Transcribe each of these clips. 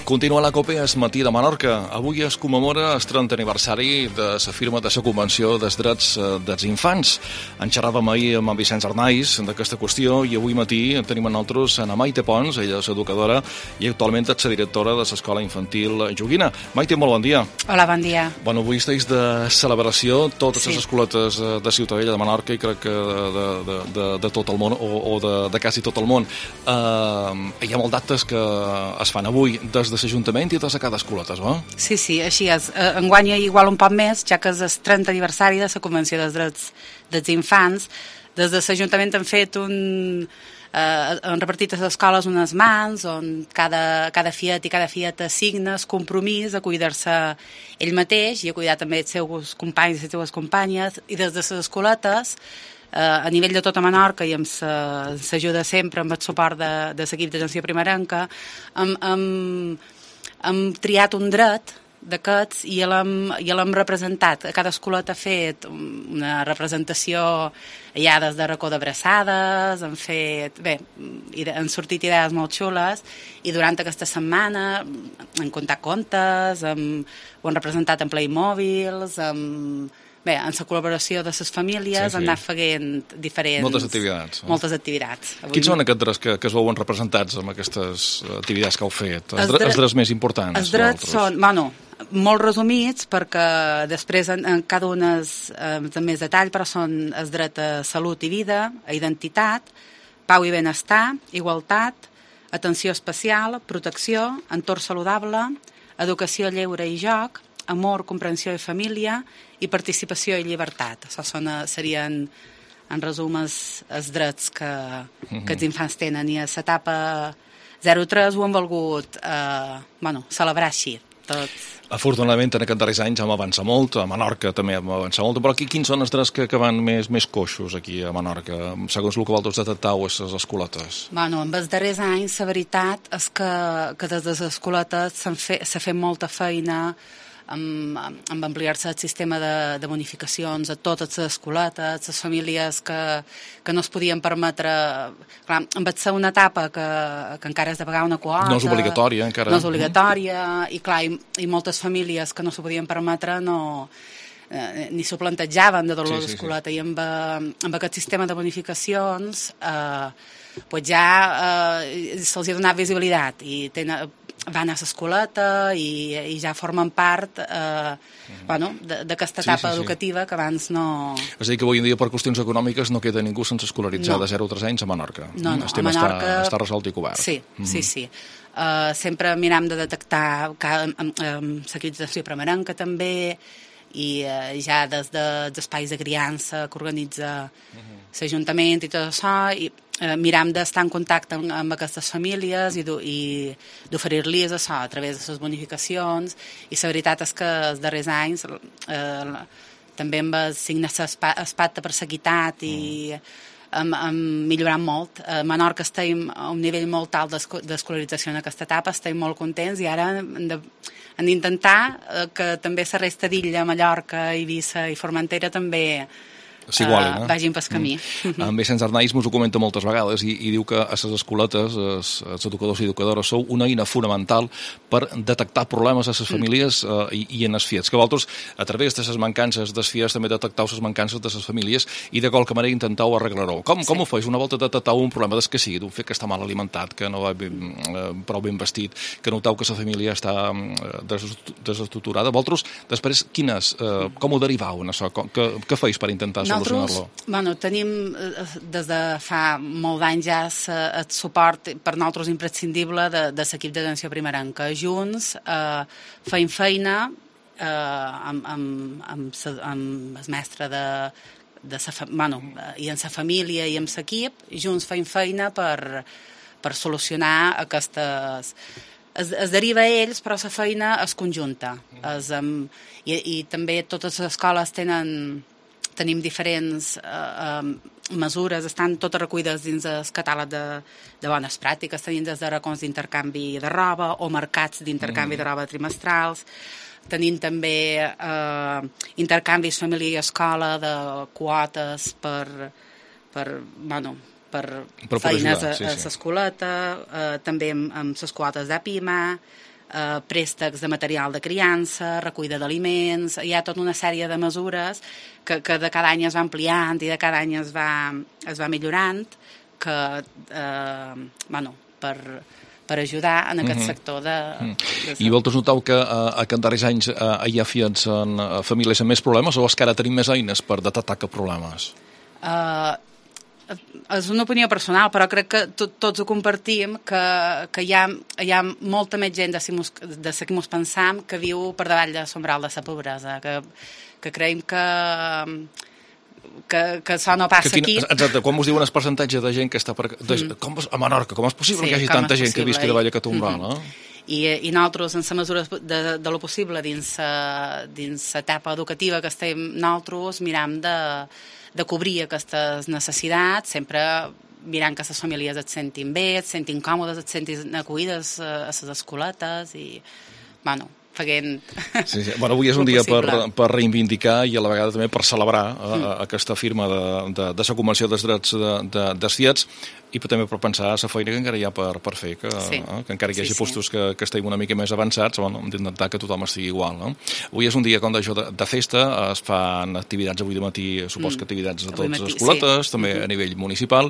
Continua la COPE es matí de Menorca. Avui es commemora el 30 aniversari de la firma de la Convenció dels Drets dels Infants. En xerràvem ahir amb en Vicenç Arnaiz d'aquesta qüestió i avui matí tenim amb nosaltres a Maite Pons, ella és educadora i actualment és la directora de l'Escola Infantil Joguina. Maite, molt bon dia. Hola, bon dia. Bueno, avui estàs de celebració, totes les escoletes de Ciutadella, de Menorca i crec que de tot el món o de quasi tot el món. Hi ha molts d'actes que es fan avui des de l'Ajuntament i des de cada escoleta, no? Sí, així és. Enguany igual un poc més, ja que és el 30 aniversari de la Convenció dels Drets dels Infants. Des de l'Ajuntament han fet han repartit a les escoles unes mans on cada fiet i cada fieta assigna el compromís a cuidar-se ell mateix i a cuidar també els seus companys i les seves companyes, i des de les escoletes a nivell de tota Menorca i amb l'ajuda sempre, amb el suport de l'equip d'atenció primerenca, hem triat un dret d'aquests i l'hem representat. Cada escoleta ha fet una representació ja des de racó d'abraçades, han sortit idees molt xules, i durant aquesta setmana han contat contes, ho han representat en Playmobils, en la col·laboració de les famílies han anat fent diferents... Moltes activitats. Quins són aquests drets que es veuen representats amb aquestes activitats que heu fet? Els drets més importants? Els drets són, molt resumits, perquè després en cada un és de més detall, però són els drets a salut i vida, a identitat, pau i benestar, igualtat, atenció especial, protecció, entorn saludable, educació, lleure i joc, amor, comprensió i família, i participació i llibertat. Això serien, en resum, els drets que els infants tenen, i a l'etapa 0-3 ho hem volgut celebrar així. Afortunadament, en aquests darrers anys hem avançat molt, a Menorca també hem avançat molt, però quins són els drets que van més coixos aquí a Menorca, segons el que vosaltres detectau a les escoletes? En els darrers anys, la veritat és que des de les escoletes s'ha fet molta feina amb ampliar-se el sistema de bonificacions a totes les escoletes, les famílies que no es podien permetre... Clar, va ser una etapa que encara has de pagar una quota... No és obligatòria, encara. No és obligatòria, i clar, i moltes famílies que no s'ho podien permetre ni s'ho plantejaven de dolor d'escoleta, i amb aquest sistema de bonificacions ja se'ls ha donat visibilitat i van a l'escoleta i ja formen part d'aquesta etapa educativa que abans no... És a dir, que avui en dia per qüestions econòmiques no queda ningú sense escolaritzar de 0 a 3 anys a Menorca. No, el tema a Menorca està resolt i cobert. Sí. Sempre miram de detectar l'equip d'atenció primerenca també, i ja des dels espais de criança que organitza l'Ajuntament i tot això, i miram d'estar en contacte amb aquestes famílies i d'oferir-los això a través de les bonificacions. I la veritat és que els darrers anys també amb signar el pacte per l'equitat i hem millorat molt. A Menorca estem a un nivell molt alt d'escolarització en aquesta etapa, estem molt contents, i ara hem d'intentar que també la resta d'illa, Mallorca, Eivissa i Formentera també vagin pel camí. En Vicenç Arnaiz mos ho comenta moltes vegades i diu que a les escoletes, els educadors i educadores, sou una eina fonamental per detectar problemes a les famílies i en els fiets, que vosaltres, a través de les mancances dels fiets, també detectau les mancances de les famílies i de qualque manera intentau arreglar-ho. Com ho feu? Una volta detectau un problema que sigui, d'un fet que està mal alimentat, que no va prou ben vestit, que notau que la família està desestructurada. Vosaltres, després, com ho derivau en això? Què feis per intentar solucionar-lo? Tenim des de fa molt d'anys ja el suport per nosaltres imprescindible de l'equip d'atenció primerenca. Junts feim feina amb el mestre i amb la família i amb l'equip. Junts feim feina per solucionar aquestes... Es deriva a ells, però la feina és conjunta. I també totes les escoles tenim diferents mesures, estan totes recollides dins el catàleg de bones pràctiques. Tenim des de racons d'intercanvi de roba o mercats d'intercanvi de roba trimestrals. Tenim també intercanvis família i escola de quotes per feines a l'escoleta, també amb les quotes d'APIMA, préstecs de material de criança, recollida d'aliments, hi ha tota una sèrie de mesures que de cada any es va ampliant i de cada any es va millorant, que, per ajudar en aquest sector de... I vosaltres noteu que en darrers anys hi ha fiats en famílies amb més problemes o és que ara tenim més eines per detectar que problemes? És una opinió personal, però crec que tots ho compartim, que hi ha molta més gent de la que mos pensam que viu per davall de l'umbral de la pobresa, que creiem que això no passa aquí. Exacte, quan us diuen el percentatge de gent que està a Menorca, com és possible que hi hagi tanta gent que visqui davall aquest umbral? I nosaltres, en la mesura de lo possible, dins l'etapa educativa que estem nosaltres, miram de cobrir aquestes necessitats, sempre mirant que les famílies et sentin bé, et sentin còmodes, et sentin acollides a les escoletes i, fent... Sí. Bueno, avui és un dia per reivindicar i a la vegada també per celebrar aquesta firma de la Convenció dels Drets dels Fiats i també per pensar la feina que encara hi ha per fer, que encara hi hagi postos que estiguin una mica més avançats, hem d'intentar que tothom estigui igual. Avui és un dia com d'això de festa, es fan activitats avui de matí, supos que activitats a totes les escoletes, també a nivell municipal,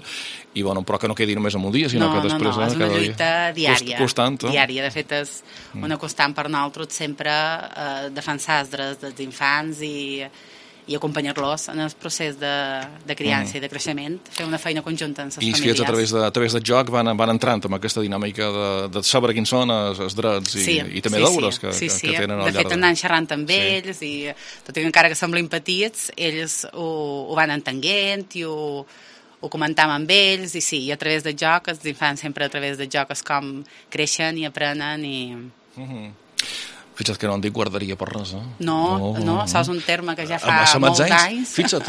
i però que no quedi només en un dia, sinó que després... No, és una lluita diària. Constant. Diària, de fet, és una constant per nosaltres sempre defensar els drets dels infants i acompanyar-los en el procés de criança i de creixement, fer una feina conjunta amb les famílies. I els fiats a través del joc van entrant en aquesta dinàmica de saber quins són els drets i també deures que tenen al llarg. De fet, anant xerrant amb ells i tot i que encara que semblin petits, ells ho van entenguent i ho comentàvem amb ells i a través del joc, els infants sempre a través del joc és com creixen i aprenen i... Fixa't que no en dic guarderia per res, No, això és un terme que ja fa molts anys. Fixa't,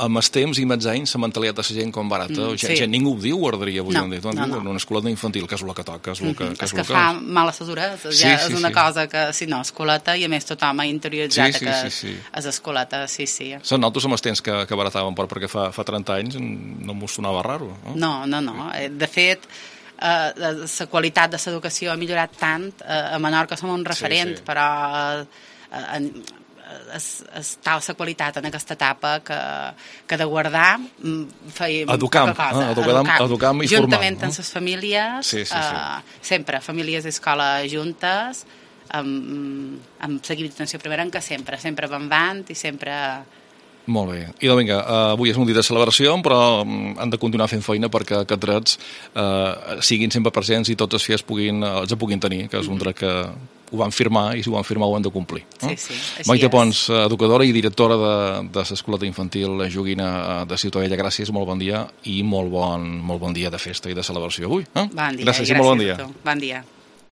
amb els temps i molts anys la mentalitat de la gent com barata. Ningú ho diu guarderia avui en dia. En una escoleta infantil, que és el que toca. És que fa mal a les hores. És una cosa que, si no, escoleta, i a més tothom ha interioritzat que és escoleta, sí. Són nosaltres amb els temps que baratàvem, perquè fa 30 anys no m'ho sonava raro. No. De fet, la qualitat de l'educació ha millorat tant. A Menorca som un referent, però està la qualitat en aquesta etapa que de guardar fèiem poca cosa. Educar i formar. Juntament amb les famílies, sempre, famílies i escola juntes, amb seguiment d'atenció primerenca, sempre van avant i sempre... Molt bé. I vinga, avui és un dia de celebració, però han de continuar fent feina perquè aquests drets siguin sempre presents i tots els fiats els puguin tenir, que és un dret que ho van firmar i si ho van firmar ho han de complir. Maite Pons, educadora i directora de l'Escoleta Infantil Joguina de Ciutadella, gràcies, molt bon dia i molt bon dia de festa i de celebració avui. Bon dia, gràcies i molt bon dia. Bon dia.